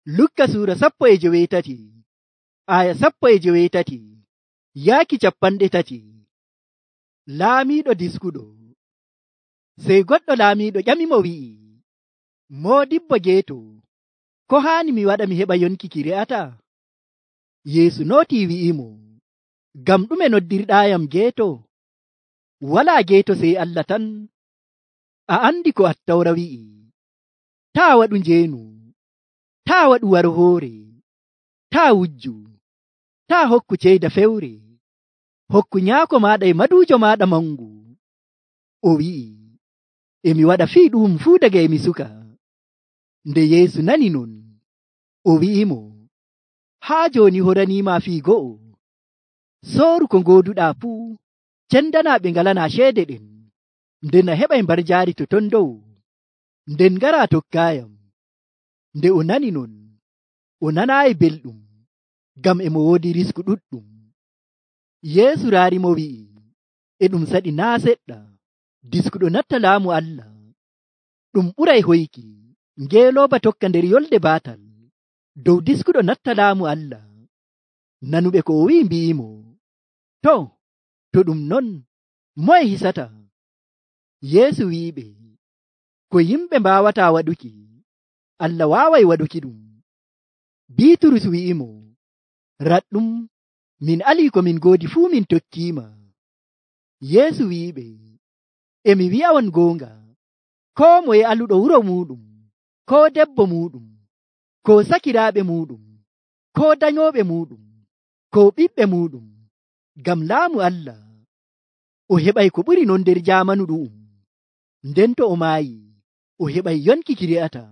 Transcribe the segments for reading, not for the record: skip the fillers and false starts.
Lukka suura 18 aya 18 yaaki 30. Laamiiɗo diskuɗo. Sey goɗɗo laamiiɗo ƴamimo wi'i, Moodibbo geeto, ko haani mi waɗa mi heɓa yonki ki re'ata? Yeesu nootii wi'imo, ngam ɗume noddirɗaayam geeto? Walaa geeto sey Allah tan. A andi ko Attawra wi'i, taa waɗu njeenu, taa waɗu warhoore, taa wujju, taa hokku ceyda fewre, hokku nyaako maaɗa e maduujo maaɗa mangu. O wi'i, emi waɗa fii ɗum fuu daga emi suka. Nde Yeesu nani non, o wi'imo, haa jooni horaniima fii go'o. Sooru ko ngooduɗaa fuu, cendanaa ɓe ngalanaa ceede ɗen, nden a heɓay mbarjaari to ton dow. Nden ngaraa tokkaayam. Nde o nani non, o nanaayi belɗum, ngam emo woodi risku ɗuɗɗum. Yeesu raarimo wi'i, e ɗum saɗi naa seɗɗa, diskuɗo natta laamu Allah. Ɗum ɓuray hoyki ngeelooba tokka nder yolde baatal dow diskuɗo natta laamu Allah. Nanuɓe ko o wi'i mbi'imo, to ɗum non, moye hisata? Yeesu wi'iɓe, ko yimɓe mbaawataa waɗuki, Allah waaway waɗuki ɗum. Biiturus wi'imo, raɗɗum, min alii ko min ngoodi fuu min tokkiima. Yeesu wi'iɓe, emi wi'a'on goonga, koo moye aluɗo wuro muuɗum, koo debbo muuɗum, koo sakiraaɓe muuɗum, koo danyooɓe muuɗum, koo ɓiɓɓe muuɗum, ngam laamu Allah, o heɓay ko ɓuri non nder jaamanu ɗu'um. Nden to o maayi, o heɓay yonki ki re'ata.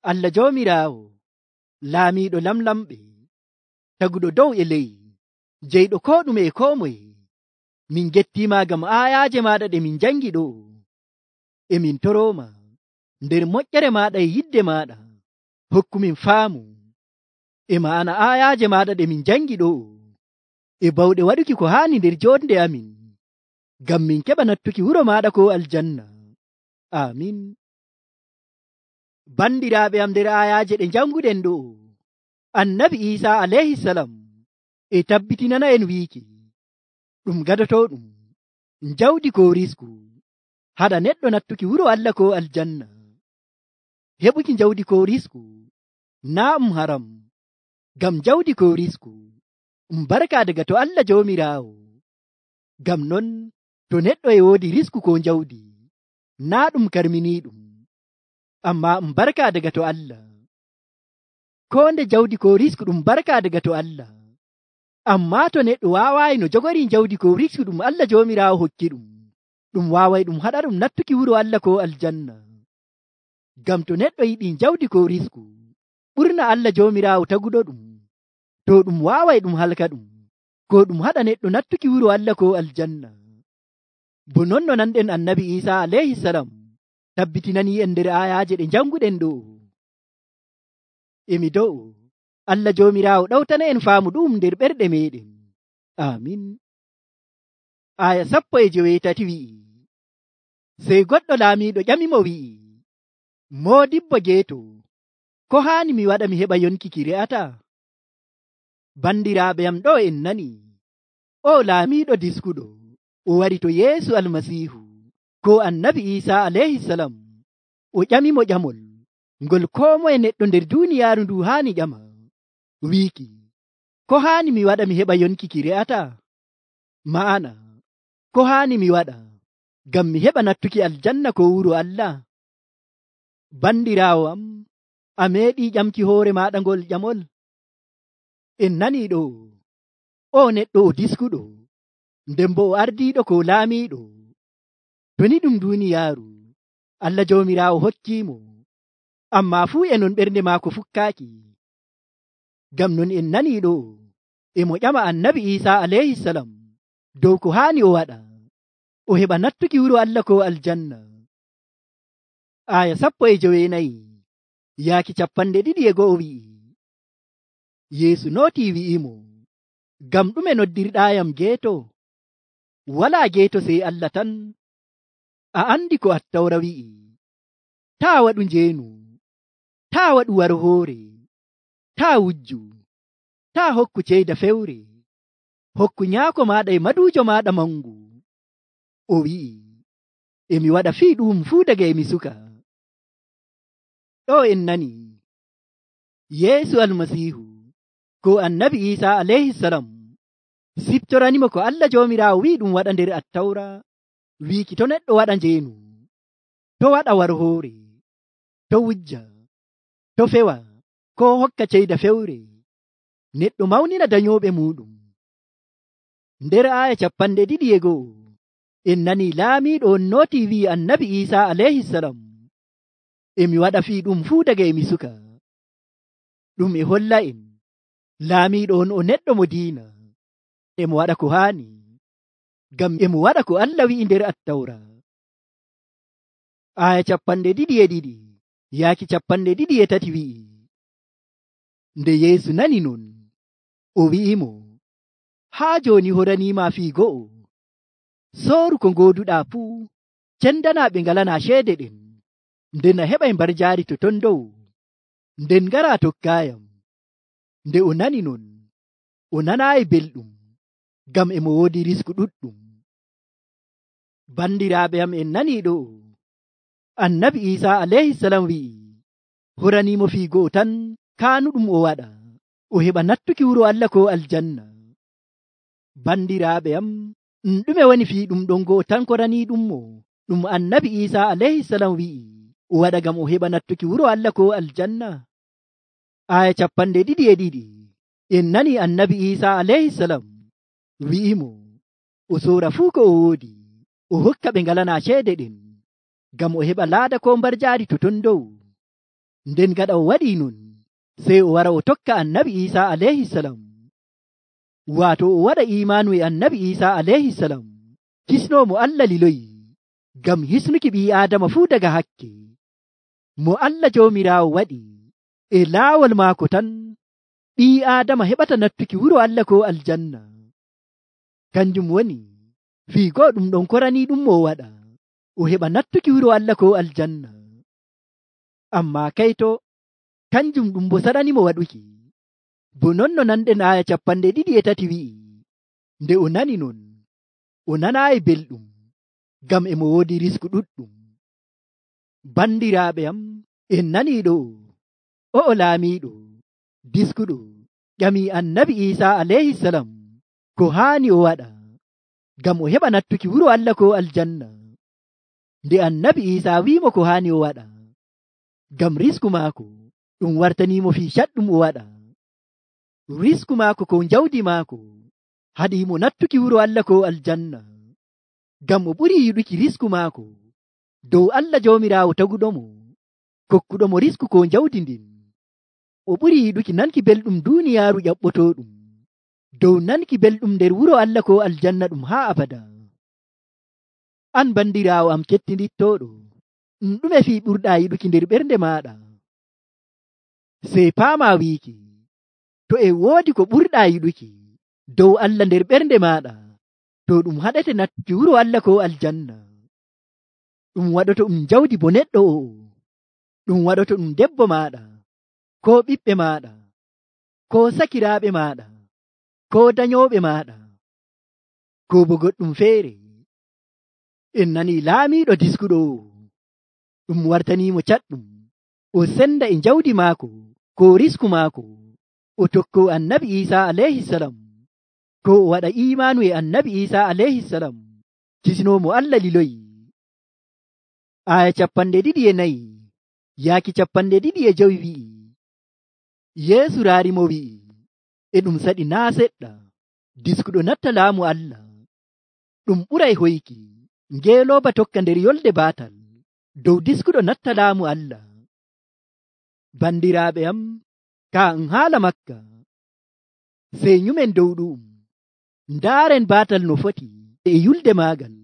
Allah Joomiraawo, laamiiɗo lamlamɓe, taguɗo dow e ley, jeyɗo koo ɗume e koo moye, min gettiima ngam aayaaje maaɗa ɗe min jangi ɗo. Emin torooma nder moƴƴere maaɗa e yidde maaɗa, hokkumin faamu e ma'ana aayaaje maaɗa ɗe min jangi ɗo, e bawɗe waɗuki ko haani nder joonde amin, ngam min keɓa nattuki wuro maaɗa ko aljanna. Amin. Bandiraaɓe am, nder aayaaje ɗe janguɗen ɗo, Annabi Iisaa alayhisalam e tabbitinana en wiiki, ɗum gadotooɗum jawdi ko risku haɗa neɗɗo nattuki wuro Allah ko aljanna. Heɓuki jawdi ko risku naa haram, ngam jawdi ko risku barka daga to Allah Joomiraawo. Ngam non to neɗɗo e woodi risku ko jawdi, naa ɗum karminiiɗum, amma barka daga to Allah. Ko nde jawdi ko risku ɗum barka daga to Allah, amma to neɗɗo waawayi no jogori jawdi ko risku ɗum Allah Joomiraawo hokki ɗum waaway ɗum haɗa ɗum nattuki wuro Allah ko aljanna. Ngam to neɗɗo yiɗi jawdi ko risku ɓurna Allah Joomiraawo taguɗo ɗum, to ɗum waaway ɗum halka ɗum, ko ɗum haɗa neɗɗo nattuki wuro Allah ko aljanna. Bo non no nanɗen Annabi Iisaa alayhisalam tabbitinani en nder aayaaje ɗe janguɗen ɗo. Emi do'o Allah Joomiraawo ɗawtana en faamu ɗum nder ɓerɗe meɗen. Amin. Aya 18 wi'i, sey goɗɗo laamiiɗo ƴamimo wi'i, Moodibbo geeto, ko haani mi waɗa mi heɓa yonki ki re'ata? Bandiraaɓe am, ɗo en nani, o laamiiɗo diskuɗo, o wari to Yeesu Almasiihu ko Annabi Iisaa alayhisalam, o ƴamimo ƴamol ngol koo moye neɗɗo nder duuniyaaru ndu haani ƴama, wiiki, ko haani mi waɗa mi heɓa yonki ki re'ata? Ma'ana, ko haani mi waɗa ngam mi heɓa nattuki aljanna ko wuro Allah? Bandiraawo am, a meeɗi ƴamki hoore maaɗa ngol ƴamol? En nani ɗo, o neɗɗo o diskuɗo, nden bo o ardiiɗo ko laamiiɗo. To ni ɗum duuniyaaru Allah Joomiraawo hokkiimo, amma fuu e non ɓernde maako fukkaaki. Ngam non en nani ɗo, emo ƴama Annabi Iisaa alayhisalam dow ko haani o waɗa, o heɓa nattuki wuro Allah ko aljanna. Aya 19 yaaki 21 wi'i, Yeesu nootii wi'imo, ngam ɗume noddirɗaayam geeto? Walaa geeto sey Allah tan. A andi ko Attawra wi'i, taa waɗu njeenu, taa waɗu war hoore, taa wujju, taa hokku ceyda fewre, hokku nyaako maaɗa e maduujo maaɗa mangu. O wi'i, emi waɗa fii ɗum fuu daga emi suka. ɗo en nani Yeesu almasiihu ko annabi Iisa alayhisalam siftoranimo ko Allah joomiraawo wi'i ɗum waɗa nder attawra, wiiki to neɗɗo waɗa njeenu, to waɗa war hoore, to wujja, to fewa, ko hokka ceyda fewre, neɗɗo mawnina danyooɓe muɗum. Nder aaya 2:1 en nani laamiiɗo on nooti wi'i annabi Iisa alayhisalam, emi waɗa fii ɗum fuu daga emi suka. ɗum e holla en laamiiɗo on o neɗɗo mo diina, emo waɗa ko haani, ngam emo waɗa ko Allah wi'i nder attawra. Aaya 2:2 yaaki 2:3 wi'i, nde Yeesu nani non, o wi'imo, haa jooni horaniima fii go'o, sooru ko ngooduɗaa fuu, cendanaa ɓe ngalanaa ceede ɗen, nden a heɓay mbar jaari to ton dow, nden ngaraa tokkaayam. Nde o nani non, o nanaayi belɗum, ngam emo woodi risku ɗuɗɗum. Bandiraaɓe am, en nanii ɗo annabi Iisa alayhisalam wi'i horaniimo fii go'o tan kaanuɗum o waɗa, o heɓa nattuki wuro Allah ko aljanna. Bandiraaɓe am, ɗume woni fii ɗum ɗon go'o tan koraniiɗummo ɗum annabi Iisa alayhisalam wi'i o waɗa ngam o heɓa nattuki wuro Allah ko aljanna? Aaya 2:2 en nani annabi Iisa alayhisalam wi'imo o soora fuu ko o woodi, o hokka ɓe ngalanaa ceede ɗen, ngam o heɓa laada ko mbar jaari to ton dow. Nden gaɗa o waɗii non, sey o wara o tokka annabi Iisa alayhisalam, waato o waɗa imaanu e annabi Iisa alayhisalam, hisnoomo Allah liloyi ngam hisnuki ɓii Aadama fuu daga hakke. Mo Allah joomiraawo waɗi e laawol maako tan ɓii Aadama heɓata nattuki wuro Allah ko aljanna. Kanjum woni fii go'o ɗum ɗon koranii ɗum mo waɗa, o heɓa nattuki wuro Allah ko aljanna. Ammaa kayto kanjum ɗum bo saɗanimo waɗuki. Bo non no nanɗen aaya 2:3 wi'i, nde o nani non, o nanaayi belɗum, ngam emo woodi risku ɗuɗɗum. Bandiraaɓe am, en nanii ɗo o'o laamiiɗo diskuɗo ƴamii annabi Iisa alayhisalam ko haani o waɗa, ngam o heɓa nattuki wuro Allah ko aljanna. Nde annabi Iisa wi'imo ko haani o waɗa, ngam risku maako ɗum wartaniimo fii caɗɗum o waɗa. Risku maako ko jawdi maako haɗiimo nattuki wuro Allah ko aljanna, ngam o ɓuri yiɗuki risku maako dow Allah joomiraawo taguɗomo, kokkuɗomo risku ko jawdi ndin. O ɓuri yiɗuki nanki belɗum duuniyaaru ƴaɓɓotooɗum dow nanki belɗum nder wuro Allah ko aljanna ɗum haa abada. An bandiraawo am kettinittooɗo, ɗume fii ɓurɗaa yiɗuki nder ɓernde maaɗa? Sey paamaa wiiki, to e woodi ko ɓurɗaa yiɗuki dow Allah nder ɓernde maaɗa, to ɗum haɗete nattuki wuro Allah ko aljanna. Ɗum waɗoto ɗum jawdi bo neɗɗo o'o, ɗum waɗoto ɗum debbo maaɗa, ko ɓiɓɓe maaɗa, ko sakiraaɓe maaɗa, ko danyooɓe maaɗa, ko bo goɗɗum feere. En nanii laamiiɗo diskuɗo ɗum wartaniimo caɗɗum, o senda e jawdi maako ko risku maako, o tokko annabi Iisa alayhisalam, ko o waɗa imaanu e annabi Iisa alayhisalam, kisnoomo Allah liloyi. Aaya 2:4 yaaki 2:5 wi'i, Yeesu raarimo wi'i, e ɗum saɗi naa seɗɗa diskuɗo natta laamu Allah. Ɗum ɓuray hoyki ngeelooba tokka nder yolde baatal dow diskuɗo natta laamu Allah. Bandiraaɓe am, kaa haala makka, sey nyumen dow ɗum, ndaaren baatal no foti e yulde maagal.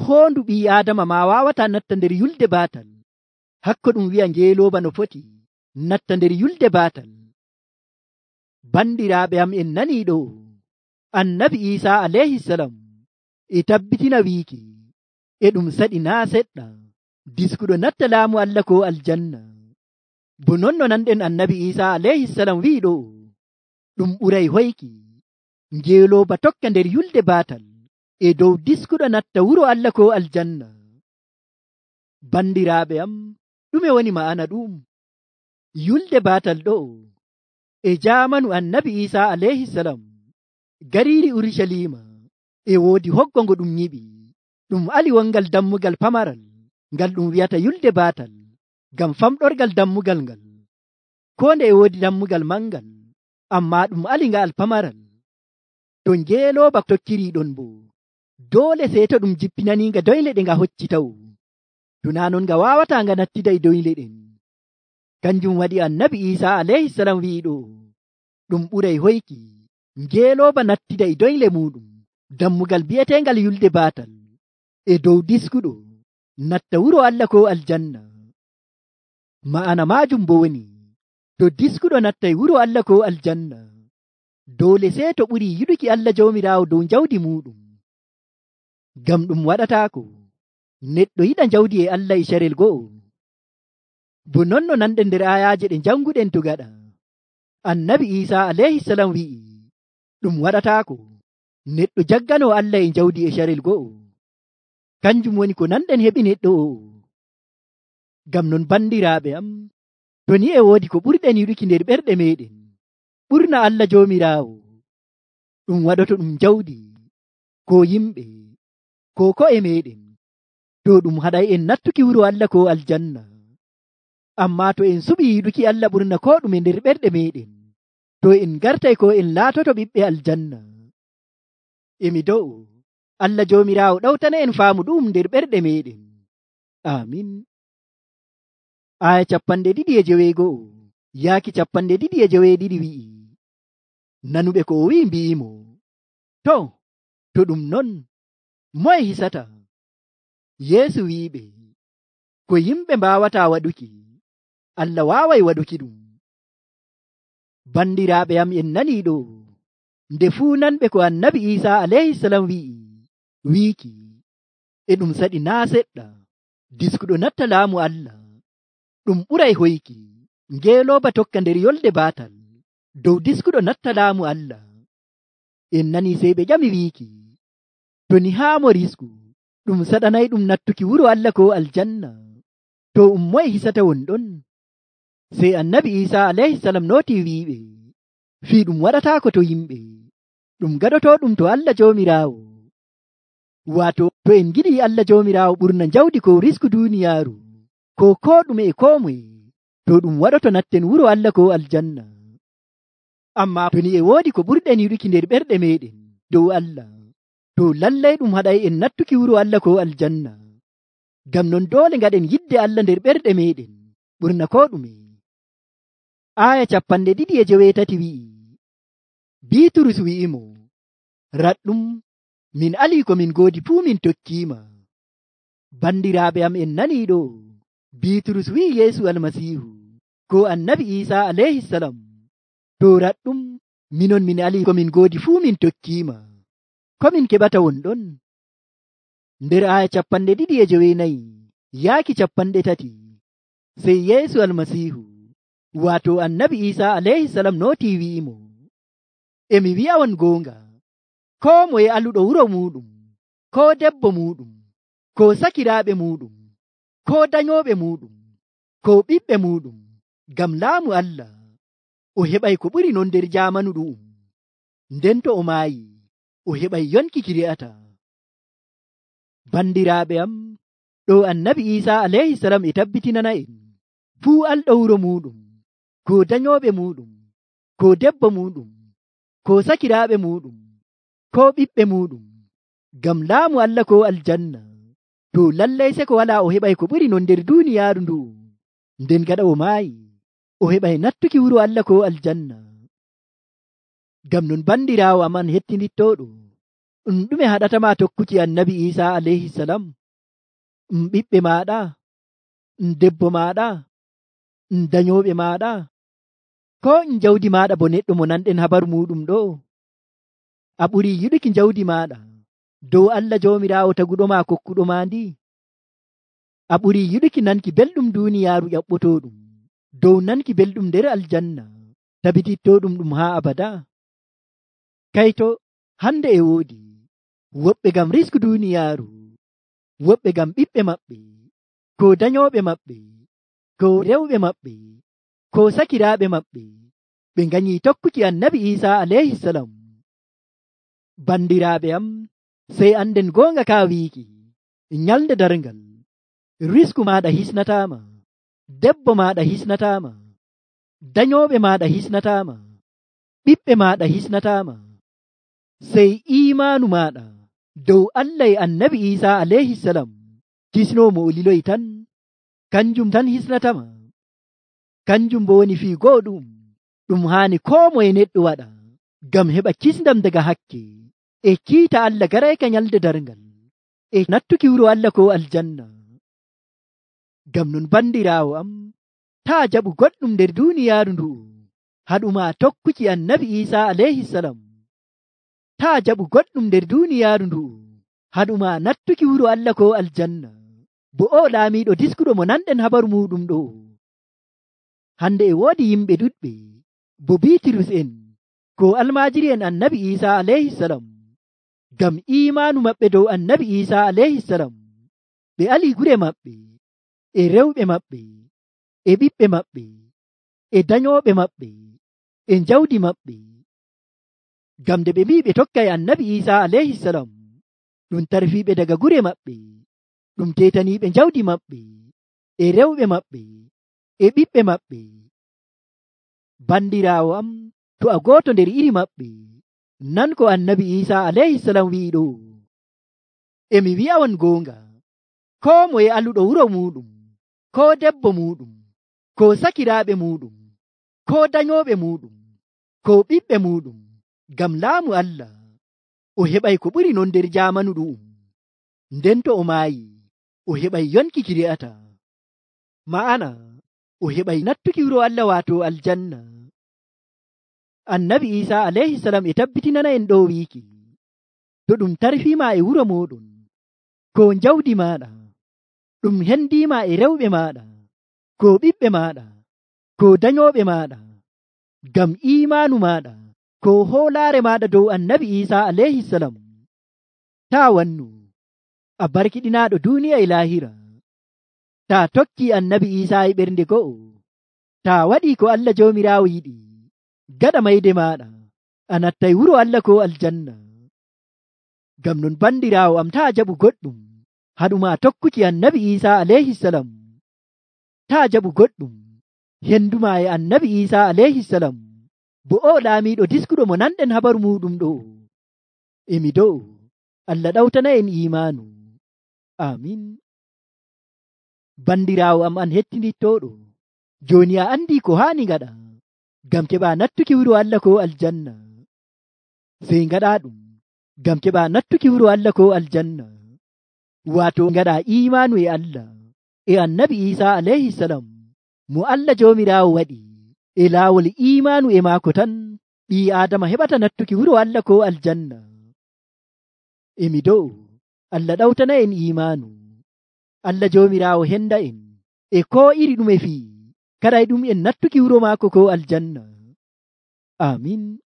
Hoondu ɓii Aadama ma waawataa natta nder yulde baatal, hakko ɗum wi'a ngeelooba no foti natta nder yulde baatal. Bandiraaɓe am, en nanii ɗo annabi Iisa alayhisalam e tabbitina wiiki e ɗum saɗi naa seɗɗa diskuɗo natta laamu Allah ko aljanna, bo non no nanɗen annabi Isa alayhisalam wi'i ɗo, ɗum ɓuray hoyki ngeelooba tokka nder yulde baatal e dow diskuɗo natta wuro Allah ko aljanna. Bandiraaɓe am, ɗume woni ma'ana ɗum? Yulde baatal ɗo e jaamanu annabi Isa alayhisalam, gariiri Urushalima e woodi hoggo ngo ɗum nyiɓi, ɗum ali wongal dammugal pamaral ngal ɗum wi'ata yulde baatal, ngam famɗorgal dammugal ngal. Ko nde e woodi dammugal mangal, amma ɗum ali ngal pamaral. To ngeelooba tokkiri ɗon bo, doole sey to ɗum jippinaninga doyle ɗe nga hocci taw. Tuna non nga wawata nga nattida e doyle ɗen. Kanjum waɗi annabi Isa alayhisalam wi'i ɗo, ɗum ɓuray hoyki ngeelooba nattida e doyle muɗum dammugal bi'etengal yulde baatal e dow diskuɗo natta wuro Allah ko aljanna. Ma'ana majum bo woni, to diskuɗo nattay wuro Allah ko aljanna, doole sey to ɓuri yiɗuki Allah jawmiraawo dow jawdi muɗum. Ngam ɗum waɗataako neɗɗo yiɗa jawdi e Allah e carel go'o. Bo non no nanɗen nder ayaje ɗe janguɗen to gaɗa, annabi Isa alayhisalam wi'i ɗum waɗataako neɗɗo jaggano Allah e jawdi e carel go'o. Kanjum woni ko nanɗen heɓi neɗɗo o. Ngam non bandiraaɓe am, to ni e woodi ko ɓurɗen yiɗuki nder ɓerɗe meɗen ɓurna Allah jawmiraawo, ɗum waɗoto ɗum jawdi ko yimɓe ko ko'e meɗen, to ɗum haɗay en nattuki wuro Allah ko aljanna. Amma to en suɓi yiɗuki Allah ɓurna ko ɗume nder ɓerɗe meɗen, to en gartay ko en laatoto ɓiɓɓe aljanna. Emi do'o Allah jawmiraawo ɗawtana en faamu ɗum nder ɓerɗe meɗen. Amin. Aya 2:2 yaaki 2:2 wi'i, nanuɓe ko o wi'i mbi'imo, to ɗum non, moye hisata? Yeesu wi'iɓe, ko yimɓe mbawata waɗuki, Allah waaway waɗuki ɗum. Bandiraaɓe am, en nani ɗo, nde fuu nanɓe ko annabi Isa alayhisalam wiiki, e ɗum saɗi naa seɗɗa, diskuɗo natta laamu Allah, ɗum ɓuray hoyki ngeelooba tokka nder yolde baatal dow diskuɗo natta laamu Allah. En nani sey ɓe ƴami wiiki, to ni haa mo risku ɗum saɗanay ɗum nattuki wuro Allah ko aljanna, to moye hisata wonɗon? Sey annabi Isa alayhisalam nooti wi'iɓe, fii ɗum waɗataako to yimɓe, ɗum gaɗoto ɗum to Allah jawmiraawo. Waato to en giɗi Allah jawmiraawo ɓurna jawdi ko risku duuniyaaru ko ɗume e ko moye, to ɗum waɗoto natten wuro Allah ko aljanna. Amma to ni e woodi ko ɓurɗen yiɗuki nder ɓerɗe meɗen dow Allah, to lallay ɗum haɗay en nattuki wuro Allah ko aljanna. Ngam non doole ngaɗen yidde Allah nder ɓerɗe meɗen ɓurna ko ɗume. Aya 2:8 wi'i, Biiturus wi'imo, raɗɗum, min ali ko min goodi fuu min tokkiima. Bandiraaɓe am, en nani ɗo, Biiturus wi'i Yeesu almasiihu ko annabi Isa alayhisalam, to raɗɗum, minon min ali ko min goodi fuu min tokkiima. Ko min keɓata wonɗon? Nder aya 2:9 yaaki 30, sey Yeesu almasiihu, waato annabi Isa alayhisalam nooti wi'imo, emi wi'a on goonga, ko moye aluɗo wuro muɗum, ko debbo muɗum, ko sakiraaɓe muɗum, ko dañooɓe muɗum, ko ɓiɓɓe muɗum, ngam laamu Allah, o heɓay ko ɓuri non nder jaamanu ɗu'um. Nden to o maayi, o heɓay yonki ki re'ata. Bandiraaɓe am, ɗo annabi Isa alayhisalam e tabbitinana en, fuu alɗo wuro muɗum, ko dañooɓe muɗum, ko debbo muɗum, ko sakiraaɓe muɗum, ko ɓiɓɓe muɗum, ngam laamu Allah ko aljanna, to lallay se ko wala o heɓay ko ɓuri non nder duuniyaaru ndu. Nden gaɗa o maayi, o heɓay nattuki wuro Allah ko aljanna. Ngam non bandiraawo aman hettinittooɗo, ɗume haɗatama tokkuki annabi Isa alayhisalam? Ɓiɓɓe maaɗa, debbo maaɗa, dañooɓe maaɗa, ko jawdi maaɗa bo neɗɗo mo nanɗen habaru muɗum ɗo? A ɓuri yiɗuki jawdi maaɗa dow Allah jawmiraawo taguɗo ma kokkuɗo ma ndi? A ɓuri yiɗuki nanki belɗum duuniyaaru ƴaɓɓotooɗum dow nanki belɗum nder aljanna tabitittoɗum ɗum haa abada. Kayto hande e woodi woɓɓe ngam risku duniyaaru, woɓɓe ngam ɓiɓɓe maɓɓe, ko dayoɓe maɓɓe, ko rewɓe maɓɓe, ko sakiraaɓe maɓɓe, ɓe nganyii tokkuki annabi Isa alayhi salam. Bandiraaɓe am, sey anden goonga ka wiiki nyalde darngal risku maɗa hisnataama, debbo maɗa hisnataama, dayoɓe maɗa hisnataama, ɓiɓɓe maɗa hisnataama, sey imanu maɗa dow Allah e annabi Isa alayhi salam kisnomo o liloyi tan, kanjum tan hisnatama. Kanjum bo woni fii go'oɗum ɗum haani koo moye neɗɗo waɗa ngam heɓa kisndam daga hakke e kiita Allah garayka nyalde darngal e nattuki wuro Allah ko aljanna. Ngam non bandiraawo am, taa jaɓu goɗɗum nder duniyaaru ndu'u haɗuma tokkuki annabi Isa alayhi salam. Taa jaɓu goɗɗum nder duniyaaru ndu'u haɗuma nattuki wuro Allah ko aljanna. Bo o laamiɗo diskuɗo mo nanɗen habaru muɗum ɗo. Hande e woodi yimɓe ɗuɗɓe bo Bitrus en ko almajiri en annabi Isa alayhi salam, ngam imanu maɓɓe dow annabi Isa alayhi salam, ɓe ali gure maɓɓe e rewɓe maɓɓe e ɓiɓɓe maɓɓe e dayoɓe maɓɓe e jawdi maɓɓe. Ngam nde ɓe mbi ɓe tokkay annabi Isa alayhi salam, ɗum tarfiɓe daga gure maɓɓe, ɗum tetaniɓe jawdi maɓɓe e rewɓe maɓɓe e ɓiɓɓe maɓɓe. Bandiraawo am, to a gooto nder iri maɓɓe, nan ko annabi Isa alayhi salam wi'iɗo. Emi wi'a on goonga, koo moye aluɗo wuro muɗum, ko debbo muɗum, ko sakiraaɓe muɗum, ko dayoɓe muɗum, ko ɓiɓɓe muɗum, ngam laamu Allah, o heɓay ko ɓuri non nder jamanu ɗu'um. Nden to o maayi, o heɓay yonki ki re'ata, ma'ana o heɓay nattuki wuro Allah waato aljanna. Annabi Isa alayhi salam e tabbitinana en ɗo wiiki, to ɗum tarfima e wuro moɗon, ko jawdi maɗa, ɗum hendima e rewɓe maɗa, ko ɓiɓɓe maɗa, ko dayoɓe maɗa, ngam imanu maɗa, ko hoolaare maɗa dow annabi Isa alayhi salam, ta wannu a barkiɗinaɗo duniya e lahira. Ta tokki annabi Isa e ɓernde go'o, ta waɗi ko Allah jomirawo yiɗi, gaɗa mayde maɗa a nattay wuro Allah ko aljanna. Ngam non bandirawo am, ta jaɓu goɗɗum haɗuma tokkuki annabi Isa alayhi salam. Ta jaɓu goɗɗum henduma e annabi Isa alayhi salam, bo o laamiɗo diskuɗo mo nanɗen habaru muɗum ɗo. Emi do'o Allah ɗawtana en imanu. Amin. Bandirawo am an hettinittoɗo, joni a andi ko hani ngaɗa ngam keɓa nattuki wuro Allah ko aljanna. Sey ngaɗa ɗum ngam keɓa nattuki wuro Allah ko aljanna, wato ngaɗa imanu e Allah e annabi Isa alayhi salam, mo Allah jomirawo waɗi e laawol imanu e maako tan ɓi Adama heɓata nattuki wuro Allah ko aljanna. Emi do'o Allah ɗawtana en imanu. Allah jomirawo henda en e ko iri ɗume fii, kada e ɗum en nattuki wuro maako ko aljanna. Amin.